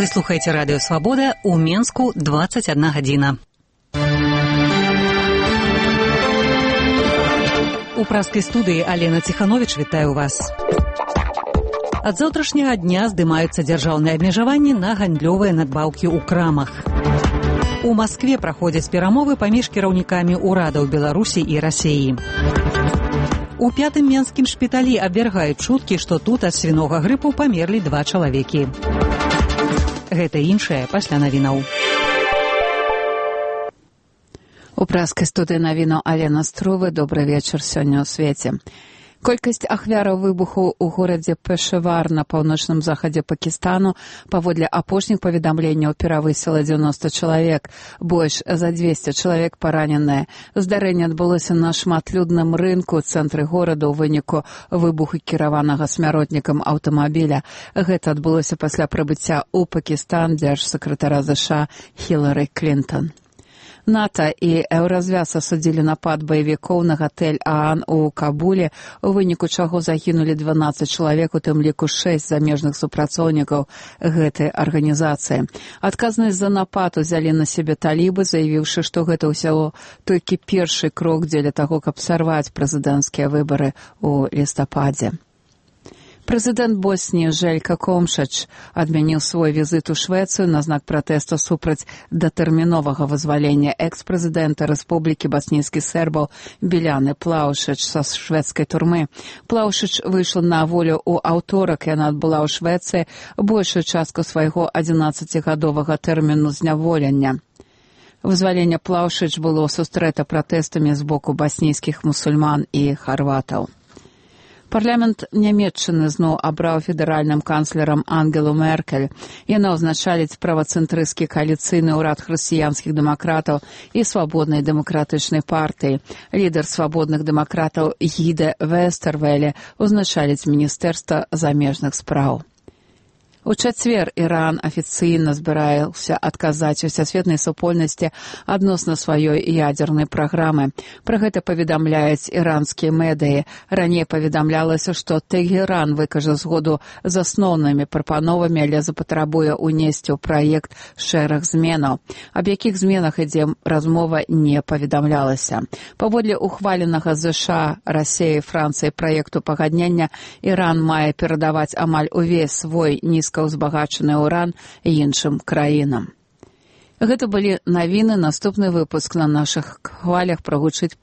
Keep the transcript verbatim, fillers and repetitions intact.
Вы слухаеце радыё Свабода, у Менску дваццаць адна гадзіна. У праскай студыі Алена Ціхановіч вітаю вас. Ад заўтрашняга дня здымаюцца дзяржаўныя абмежаванні на гандлёвыя надбаўкі ў крамах. У Маскве праходзяць перамовы паміж кіраўнікамі ўрадаў Беларусі і Расіі. У пятым менскім шпіталі абвяргаюць чуткі, што тут ад свінога грыпу памерлі два чалавекі. Гэта іншае пасля навінаў. У праскай студыі навінаў Алена Струвы. Добры вечар сёння ў свеце. Колькасць ахвяраў выбуху ў горадзе Пешавар на паўночным захадзе Пакістану паводле апошніх паведамленняў перавысіла дзевяноста чалавек. Больш за дзвесце чалавек параненыя. Здарэнне адбылося на шматлюдным рынку ў цэнтры горада ў выніку выбуху кіраванага смяротнікам аўтамабіля. Гэта адбылося пасля прыбыцця ў Пакістан дзяржсакратара ЗША Хілары Клінтон. НАТО і Еўразвяз асудзілі напад баевікоў на гатэль Аан у Кабуле, у выніку чаго загінулі дванаццаць чалавек, у тым ліку шэсць замежных супрацоўнікаў гэтай арганізацыі. Адказнасць за напад узялі на сябе талібы, заявіўшы, што гэта ўсяго толькі першы крок дзеля таго, каб сарваць прэзідэнцкія выбары ў лістападзе. Прэзідэнт Босніі Желька Комшач адмяніў свой візіт у Швецыю на знак пратэсту супраць датэрміновага вызвалення экс-прэзідэнта Рэспублікі баснійскіх сербаў Біляны Плаушыч са шведскай турмы. Плаушыч выйшла на волю ў аўторак, яна адбыла ў Швецыі большую частку свайго адзінаццацігадовага тэрміну зняволення. Вызваленне Плаушыч было сустрэта пратэстамі з боку баснійскіх мусульман і харватаў. Парламент Нямецчыны зноў абраў федэральным канцлерам Ангелу Меркель. Яна ўзначаліць правацэнтрысцкі кааліцыйны ўрад хрысціянскіх дэмакратаў і свабоднай дэмакратычнай партыі. Лідар свабодных дэмакратаў Гіде Вестэрвеле ўзначаліць міністэрства замежных спраў. У чацвер Іран афіцыйна збіраўся адказаць усесветнай супольнасці адносна сваёй ядзернай праграмы. Пра гэта паведамляюць іранскія медыі. Раней паведамлялася, што Тэгеран выкажа згоду з асноўнымі прапановамі, але запатрабуе ўнесці ў праект шэраг зменаў. Аб якіх зменах ідзе размова, не паведамлялася. Паводле ухваленага ЗША, Расіі і Францыі праекту пагаднення, Іран мае перадаваць амаль увесь свой нізкі узбагачаны ўран іншым краінам. Гэта былі навіны. Наступны выпуск на нашых хвалях прагучыць